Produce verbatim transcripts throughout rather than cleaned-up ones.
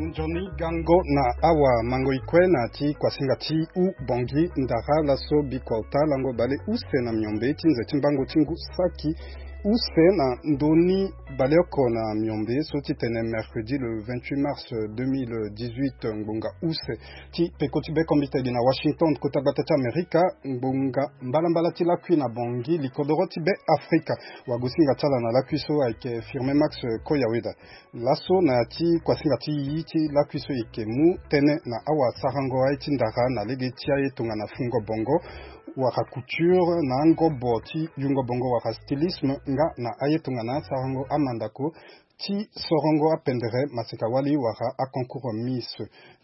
Nzoni gango na awa mango ikue na ti kuasinga ti u bongi ndara laso bikua ota lango bale use na miombe ti nze ti mbango ti ngu saki use na ndoni baleoko na miombe so ti tene mercredi le vingt-huit mars deux mille dix-huit ngbonga use ti peko ti be kombite gi na Washington kota gbata ti Amerika. Ngbonga mbalambala ti lakui na bongi likodoro ti be Afrika. Wagosinga ti ala na lakui so ayeke Firme Max Koyaweda. Laso na ya ti kuasinga ti yi ti lakui so e yeke mu tënë na awasarango aye ti ndara na lege ti aye tongana fungo bongo wala couture na angobo ti yungo bongo wala stylisme nga na aye tongana asarango amandako ti sorongo apendere maseka wali wala aconcours Miss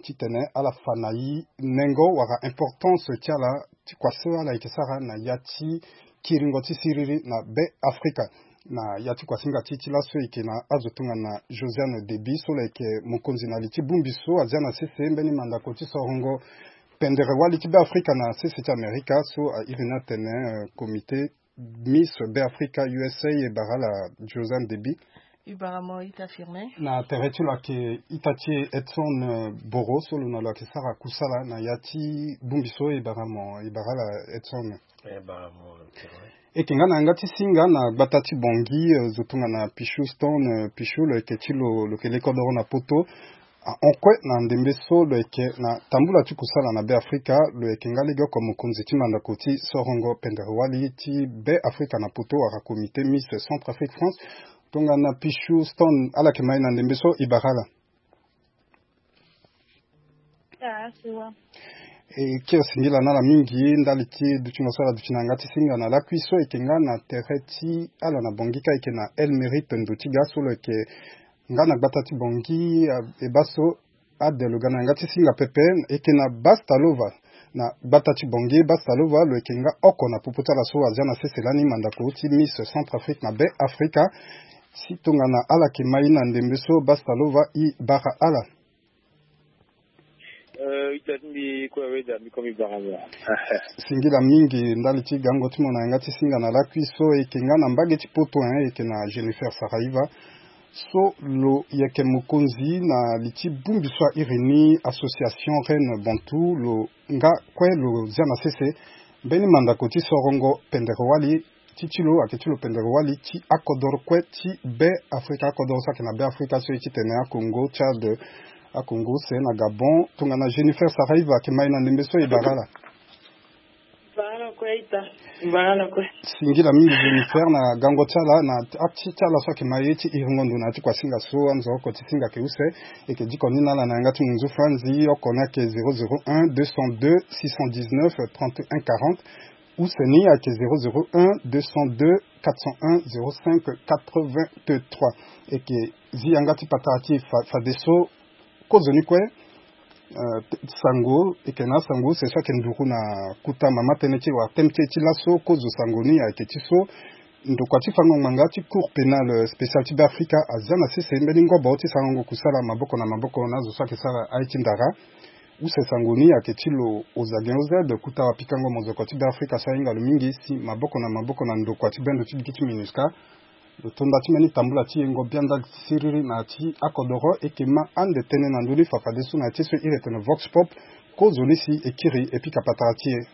titene ala fa na yi nengo wala importance ti ala ti kua so ala yeke sara na ya ti kiringo ti siriri na be Afrika. Na ya ti kuasinga ti ti laso e yeke na azo tongana Josiane Deby so lo yeke mokonzi na li ti bongbi so azia na sese mbeni mandako ti sorongo pendere wali ti be Afrika na sese ti Amerika so a iri ni atene comité Miss be Afrika U S A e bara ala Josiane Deby. E bara mo ita Firme. Na tere ti lo ayeke ita ti e Edson Boro so lo na lo ayeke sara kusala na ya ti bongbi so e bara mo e bara ala Edson. E yeke nga na yanga ti singa na gbata ti bongi zo tongana Pichou Stone Pichou lo yeke ti lo lo yeke lekodoro na poto. Ahon kue na ndembe so lo yeke na tambula ti kusala na be Afrika lo yeke nga lege oko mokonzi ti mandako ti sorongo pendere wali ti be Afrika na poto wala comité Miss Centrafrique France. Tongana Pichou Stone ala yeke mai na ndembe so e bara ala. E kiri singila na ala mingi ndali ti dutingo so ala duti na yanga ti singa na lakui so e yeke nga na tere ti ala na bongi ka e yeke na El Mérite ndo ti ga so lo yeke nga na gbata ti bongi e baa so ade lo ga na yanga ti singa pepe. E yeke na Bastalova na gbata ti bongi. Bastalova lo yeke nga oko na popo ti ala so azia na sese lani mandako ti Miss Centrafrique na be Afrika. Si tongana ala yeke mai na ndembe so Bastalova e bara ala. Ita ti mbi kue aweda mbi komi bara mo. Singila mingi ndali ti gango ti mo na yanga ti singa na lakui so e yeke nga na mbage ti poto e yeke na Jennifer Saraiva so lo yeke mokonzi na li ti bongbi so a iri ni Association Reine Bantou lo nga kue lo zia na sese mbeni mandako ti sorongo pendere wali ti ti lo ayeke ti lo pendere wali ti akodoro kue ti be Afrika akodoro so ayeke na be Afrika so ye titene akongo Tchad akongo use na Gabon. Tongana Jennifer Saraiva ayeke mai na ndembe so e bara ala. Singila mingi Jennifer na gango ti ala na ati ti ala so ayeke mai ye ti iringo ndo na ya ti kuasinga so anzo oko ti singa ayeke use. E yeke diko ni na ala na yanga ti munzu franzi oko ni ayeke zéro zéro un deux cent deux six cent dix-neuf trente et un quarante. Use ni ayeke zéro zéro un deux cent deux quatre cent un zéro cinq quatre-vingt-trois. E yeke zi yanga ti patara ti e fadeso. Kozoni kue sango e yeke na asango use so ayeke nduru na kota mama tënë ti e wala teme ti e ti laso. Kozo sango ni ayeke ti so ndokua ti fango ngbanga ti Cour pénale spéciale ti Beafrika azia na sese mbeni ngobo ti sarango kusala maboko na maboko na azo so ayeke sara aye ti ndara. Use sango ni ayeke ti lo Ozagen Ozed kota wapikango mozoko ti Beafrika so ahinga lo mingi si maboko na maboko na ndokua ti bendo ti gigi ti MINUSCA lo tonda ti mbeni tambula ti yengo bianda siriri na ya ti akodoro. E yeke ma ande tënë na ndö ni fafadeso na ya ti so e iri etene Vox Pop. Kozoni si e kiri e pika patara ti e.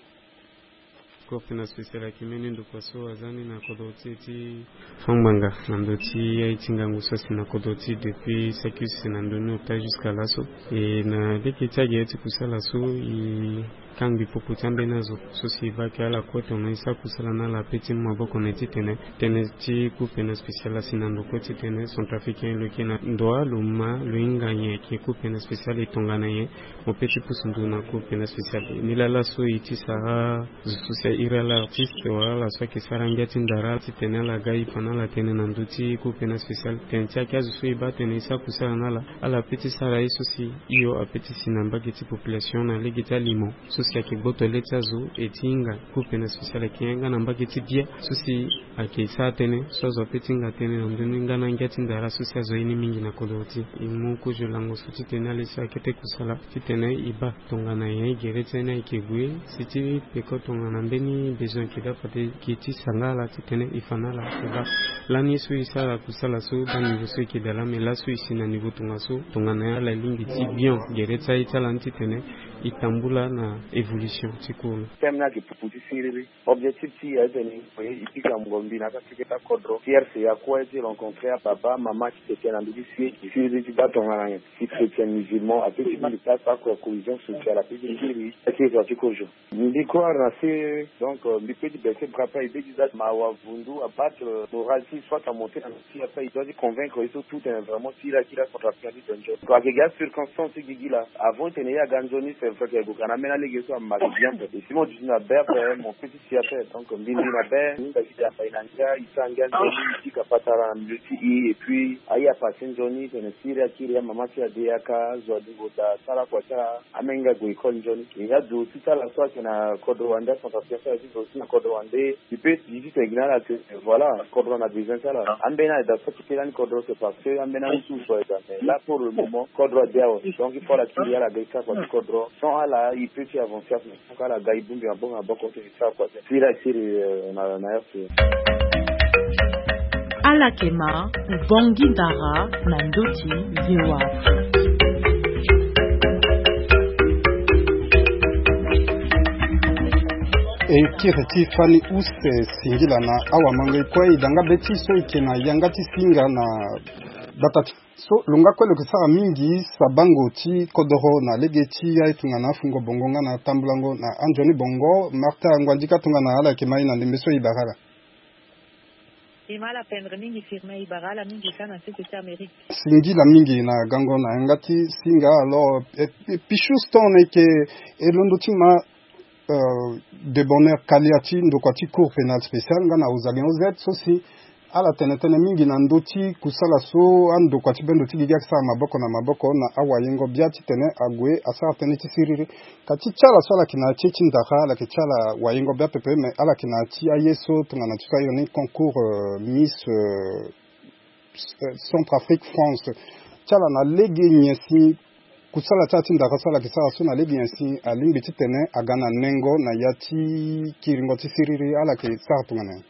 Cour pénale spéciale ayeke mbeni ndokua so aza ni na kodro ti e ti fangbanga na ndö ti aye ti ngangu so asi na kodro ti e depuis saki use na ndö ni ota jusqu'à laso. E na lege ti agere ti kusala so e kangbi popo ti ambeni azo so si e baa ayeke ala kue tongana e sara kusala na ala ape ti mu maboko na e titene tënë ti Cour pénale spéciale asi na ndo kue titene centrafricain lo yeke na ndoa lo ma lo hinga nyen ayeke Cour pénale spéciale e tongana nyen. Mo pe ti pusu ndo na Cour pénale spéciale ni laa laso e ti sara zo so si a iri ala artiste wala ala so ayeke sara ngia ti ndara titene ala ga e fa na ala tënë na ndö ti Cour pénale spéciale. Tënë ti ayeke azo so e baa tene e sara kusala na ala ala pe ti sara ye so si hio ape ti si na mbage ti population na lege ti alimo so si ayeke gboto le ti azo e ti hinga Cour pénale spéciale ayeke yanga na mbage ti bia so si ayeke sara tënë so azo ape ti hinga tënë na ndö ni nga na ngia ti ndara so si azo aye ni mingi na kodro ti e. E mu kozo lango so titene ala ye so akete kusala titene e baa tongana nyen gere ti ala ni ayeke gue si ti peko tongana mbeni Besoin ke da fade ke ti sanga ala titene e fa na ala ke da. Lani so e sara kusala so da niveau so e ke da la, mais laso e si na niveau tongaso, tongana ala lingbi ti bien gere ti aye ti ala ni titene e tambula na évolution ti cours ni. Teme ni ayeke pupu ti siriri. Objectif ti e aye tene e pika mungo mbi na yanga ti keta kodro ti R C A kue ti rencontrer ababa mama ti tete na ndö ti si siriri ti baa tongana nyen. Ti chrétien musulman ape ti mbi place akue cohésion sociale ape ti kiri ti iri ti kozo. Mbi croire na se, donc, euh, mbi peut ti baisser bras ape, mbi peut ti za mawa vundu abattre, euh, moral ti soit amonter na si ape, il doit ti convaincre ye so tout tene vraiment si la kiri acentrafricain ti donjon. Ayeke gi acirconstance ti gigi laa. Avant tene ye aga nzoni, c'est vrai que ayeke gue ka na ambeni alege so ama bien ape. Et si mo duti na be ape, mon petit si ape. Donc mbi mbi na be, mbi hinga gi de apai na ngia, e sara ngia nzoni, e pika patara na milieu ti e, et puis aye apase nzoni tene siriri akiri amama ti ade aka azo alingo daa asara kua ti ala. Amenga gue école nzoni. E nga zo ti sala so ayeke na kodro wande acentrafricain so ayeke ti zo ti na kodro wande. E peut e ti tene gi na ala que voilà, kodro na besoin ti ala. Ambeni ayeke daa so ti kiri lani kodro, c'est parce que ambeni ahusu so ayeke daa, mais là pour le moment kodro ade awe. Donc il faut ala kiri ala ga e sara kua ti kodro. Sans ala e peut ti avancer ape. Donc ala ga e bongbi maboko na maboko so e sara kua ti siriri akiri, euh, na na R C A. Ala yeke ma Bongi Ndara na ndö ti V O A Afrique. E kiri ti fani use singila na awamanga e kue e da nga be ti so e yeke na yanga ti singa na gbata ti so lo nga kue lo yeke sara mingi sabango ti kodoro na lege ti aye tongana afungo bongo nga na tambulango na anzoni bongo. Martha Nguandika tongana ala yeke ma e na ndembe so e bara ala. E ma ala pendre mingi firme, e bara ala mingi ka na sese ti Amérique. Singila mingi na gango na yanga ti singa. Alors, eh, eh, Pichou Stone, e yeke e londo ti ma, euh, de bonheur Kalia ti ndokua ti Cour pénale spéciale nga na Ozalien O Z so si ala tene tënë mingi na ndö ti kusala so andokua ti bendo ti gigi ayeke sara maboko na maboko na awayengo bia titene ague asara tënë ti siriri. Ka ti ti ala so ala yeke na ya ti ye ti ndara, ala yeke ti ala wayengo bia pepe, me ala yeke na ya ti aye so tongana ti so airi ni concours, euh, Miss, euh, euh, Centrafrique France. Ti ala na lege nyen si kusala ti ala ti ndara so ala yeke sara so na lege nyen si alingbi titene aga na nengo na ya ti kiringo ti siriri, ala yeke sara tongana nyen?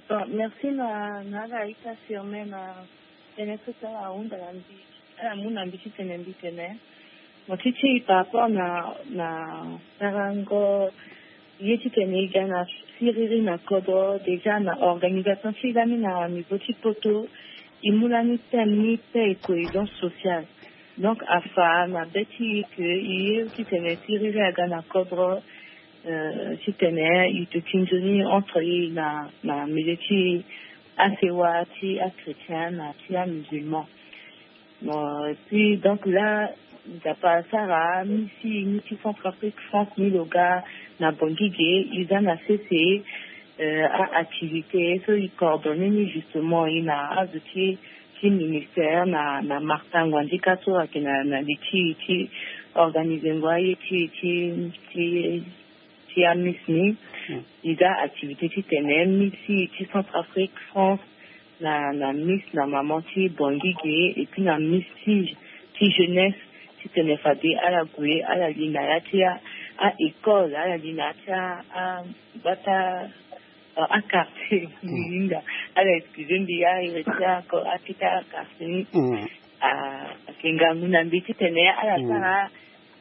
Bon, merci na, na ala ita firme na tënë so ti ala ahunda na mbi, ala mu na mbi titene mbi tene. Mo ti ti par rapport na, na sarango ye titene e ga na siriri na kodro, déjà na organisation ti e lani na niveau ti poto, e mu lani thème ni paix et cohésion sociale. Donc afa na be ti e que e ye titene siriri aga na kodro, euh, titene e duti nzoni entre e na, na milieu ti asewa ti achrétien na ti amusulman. Bon, et puis donc là, Nzapa asara amisi ni ti Centrafrique France ni lo ga na Bangui ge, e za na sese, euh, a-activité so e coordonner ni justement e na azo ti, ti ministère na, na Martin Ngouandjika so ayeke na, na li ti, ti organiser ngo aye ti, ti, ti, ti amiss ni. Mm. E za activité titene miss ti Centrafrique France na, na miss na maman ti Bangui ge, et puis na miss ti, ti jeunesse, titene fade ala gue, ala li na ya ti a, a école, ala li na ya ti a, a gbata, a, a quartier. Mm. Hinga, ala excuse mbi, a iri ti a ko-, a ti a quartier ni. Mm. A, ayeke ngangu na mbi titene ala, mm, sara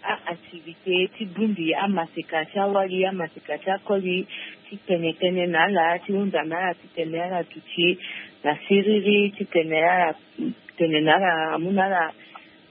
a-activité ti bongbi amaseka ti awali, amaseka ti akoli, ti tene tënë na ala, ti hunda na ala, titene ala duti na siriri, titene ala tene na ala, amu na ala,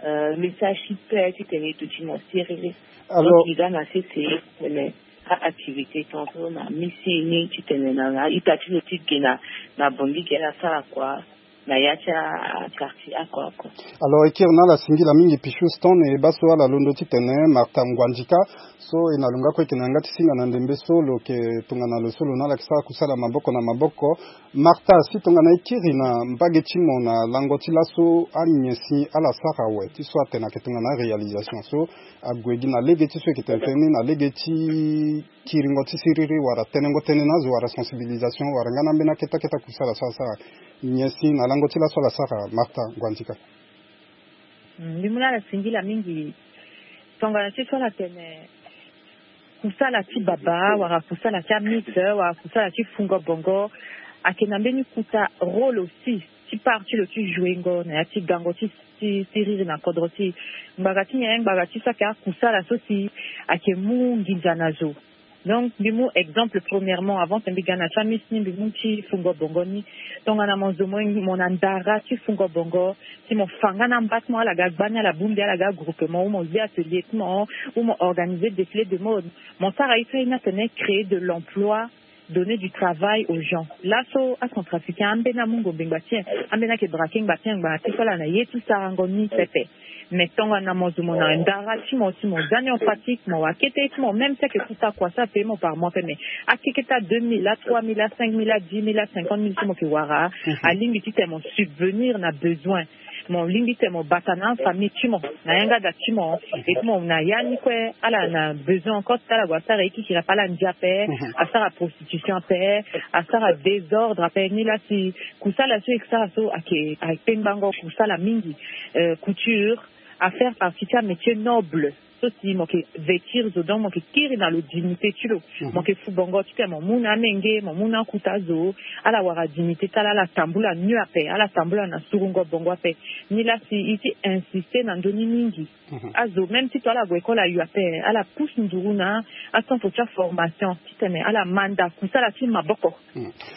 euh, message ti paix, titene e duti na siriri. Alors, donc e ga na sese titene a-activité tongaso na miss ni, titene na, na ita ti lo ti ge na, na Bangui ge ala sara kua na ya ti a-quartier oko oko. Alors, e kiri na ala singila mingi Pichou Stone, e baa so ala londo titene Martha Ngouandjika, so e na lo nga kue e yeke na yanga ti singa na ndembe so lo yeke tongana lo so lo na ala yeke sara kusala maboko na maboko. Martha, si tongana e kiri na mbage ti mo na lango ti laso, anyen si ala sara awe ti so atene ayeke tongana aréalisation so ague gi na lege ti so e yeke tene tënë ni na lege ti kiringo ti siriri wala tenengo tënë na azo wala sensibilisation wala nga na ambeni akete akete kusala so asara. Nyen si na lango ti laso ala sara, Martha Ngouandjika? Mm, mbi mu na ala singila mingi. Tongana ti so ala tene kusala ti baba wala kusala ti amite wala kusala ti fungo bongo, ayeke na mbeni kota rôle aussi ti part ti lo ti jouengo na ya ti gango ti ti ti riri na kodro ti e. Ngbanga ti nyen? Ngbanga ti so ayeke akusala so si ayeke mu nginza na zo. Donc mbi mu exemple, premièrement, avant ti mbi ga na ti amite ni, mbi mu ti fungo bongo ni. Tongana mo zo mo na ndara ti fungo bongo, si mo fa nga na mba ti mo, ala ga gbani, ala bongbi, ala ga groupement, ou mo zi atelier ti mo, ou mo organiser défilé de mode, mo sara ye so aye ni atene créer de l'emploi, donner du travail aux gens. Laso acentrafricain ambeni amu ngombe ngbanga ti e, ambeni ayeke braquer ngbanga ti e, ngbanga ti e so ala na ye ti sarango ni pepe. Mais tongana mo zo mo na ndara ti mo, si mo za ni en pratique, mo wa kete ti mo, même si ayeke kota kua so apaye mo par mois pe, mais akeketa deux mille, a trois mille, a cinq mille, a dix mille, a cinquante mille so mo yeke wara, alingbi titene mo subvenir na besoin. Mo lingbi titene mo bata na afamille ti mo, na yanga da ti mo. Et ti mo na ya ni kue, ala na besoin encore ti ala gue asara ye kikiri ape, ala ndia ape, asara prostitution ape, asara désordre ape. Ni la si kusala so e sara so ayeke, ayeke pengbango kusala mingi. Euh, couture a faire partie ti amétier noble so si mo yeke vêtir zo, donc mo yeke kiri na lo dignité ti lo. Mo yeke fu bongo titene mo mu na amenge, mo mu na akuta zo, ala wara dignité ti ala, ala tambula mieux ape, ala tambula na surungo bongo ape. Ni la si e ti insister na ndö ni mingi. Azo même ti to ala gue école ayo ape, ala pousse nduru na acentre ti aformation titene ala manda kusala ti maboko.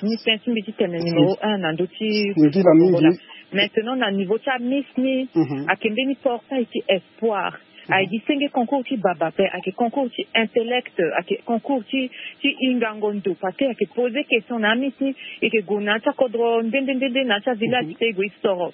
Ni tënë ti mbi ti tene numéro un na ndö ti. Singila mingi. Maintenant na niveau ti amite ni, ayeke mbeni portail ti espoir. Ayeke gi senge concours ti baba ape, ayeke concours ti intellect, ayeke concours ti, ti hingango ndo, parce que ayeke poser question na amite ni. E yeke gue na ya ti akodro nde nde nde nde, na ya ti avillage ti e, e gue e soro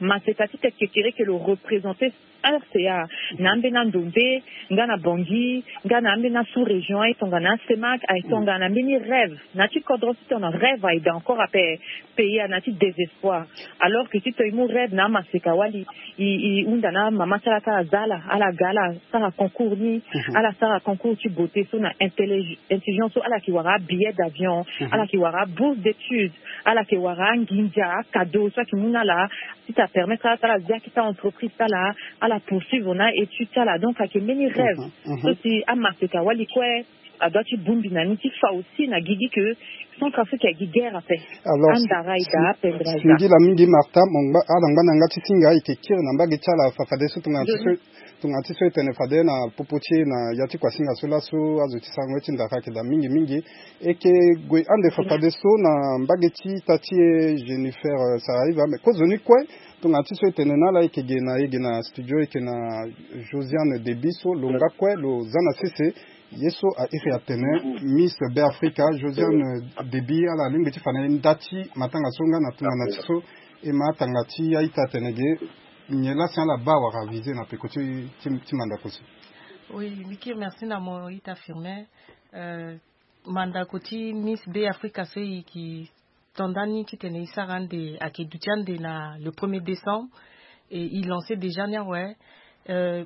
maseka ti teke kere ke lo représenter R C A na ambeni ando nde, nga na Bangui, nga na ambeni asous-région, aye tongana asemak, aye tongana mbeni rêve. Na ya ti kodro ti tongana rêve aye daa encore ape, pays ana ti désespoir. Alors que ti to e mu rêve na amaseka wali, e, e hunda na amama ti ala ti ala za ala, ala ga ala sara concours ni, ala sara concours ti beauté so na intellig-, intelligence so ala yeke wara abillet d'avion, ala yeke wara abourse d'études, ala yeke wara anginza, acadeau so ayeke mu na ala, ti ta permettre ala ti ala zia akita entreprise ti ala, ala poursuivre na étude ti ala. Donc ayeke mbeni rêve so si amaseka wali kue adoit ti bongbi na ni ti fa aussi na gigi que Centrafrique ayeke guerre ape. Alors, andara aye daa, apendre aye daa. Singila mingi Martha, mo ngba, ala ngba na yanga ti singa, e yeke kiri na mbage ti ala fafadeso tongana ti so, tongana ti so e tene fade na popo ti e na ya ti kuasinga so laso, azo ti sarango ye ti ndara ayeke daa mingi mingi. E yeke gue ande fafadeso na mbage ti ita ti e Jennifer, euh, Saraiva, mais kozoni kue, tongana ti so e tene na ala, e yeke ge na, e ge na studio, e yeke na Josiane Debi so lo nga kue lo za na sese. Ye so a iri atene Miss Be Africa, Josiane Debi, ala lingbi ti fa na e nda ti matanga so nga na tongana ti so e ma atanga ti a-ita atene ge, nyen la si ala baa wala viser na peko ti, ti, ti mandako so? Oui, mbi kiri merci na mo ita Firmin. Euh, mandako ti Miss Be Africa so e yeke to nda ni titene e sara ande, ayeke duti ande na le premier décembre. Et e lancer déjà ni awe. Euh,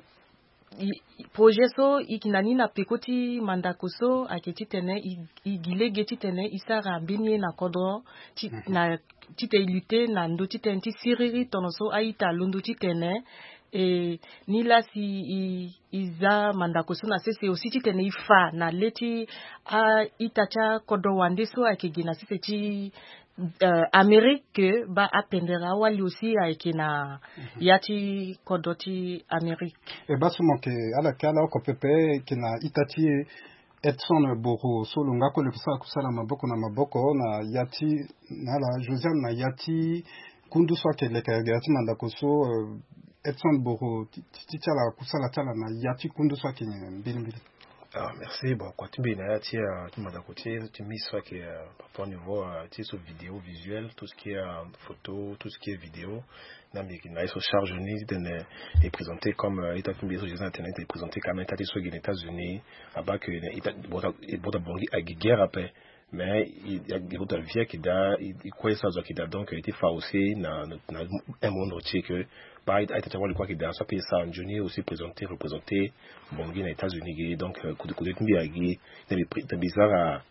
e, e, projet so e yeke na ni na peko ti mandako so ayeke titene e, e gi lege titene e sara mbeni ye na kodro ti, na, titene e lutter na ndö titene ti siriri tono so a-ita alondo titene. E, ni la si e, e za mandako so na sese aussi titene e fa na le ti a-ita ti akodro wande so ayeke gi na sese ti, euh, Amérique, baa apendere awali aussi ayeke na ya ti kodro ti Amérique. E baa so mo yeke, ala yeke ala oko pepe, e yeke na ita ti e Edson Boro so lo nga kue lo yeke sara kusala maboko na maboko na ya ti, na ala Josiane, na ya ti kundu so ayeke leke ya ti mandako so, euh, Edson Boro, ti, ti, ti ala kusala ti ala na ya ti kundu so ayeke nyen mbilimbili? Ah, merci. Bon, kua ti mbi na ya ti, euh, ti mandako ti, ti Miss so ayeke, euh, par rapport niveau, euh, ti so vidéo visuel, tout ce qui est, euh, photo, tout ce qui est vidéo. Na mbi yeke na ye so charge ni titene e présenter comme, euh, ita ti mbi ye so Josiane atene, e présenter quand même ita ti so e gi na États-Unis, abaa que na ita, bota, bota Bangui ayeke guerre ape. Mais e, e, e, e vie ayeke daa, e, e kue so azo ayeke daa, donc e ti fa aussi na, na, na un monde entier que baa a-ita ti awali kue ayeke daa so ape e sara nzoni aussi présenter, représenter Bangui na États-Unis ge. Donc, euh, kode, kode ti mbi ayeke gi, na mbi pri-, na mbi sara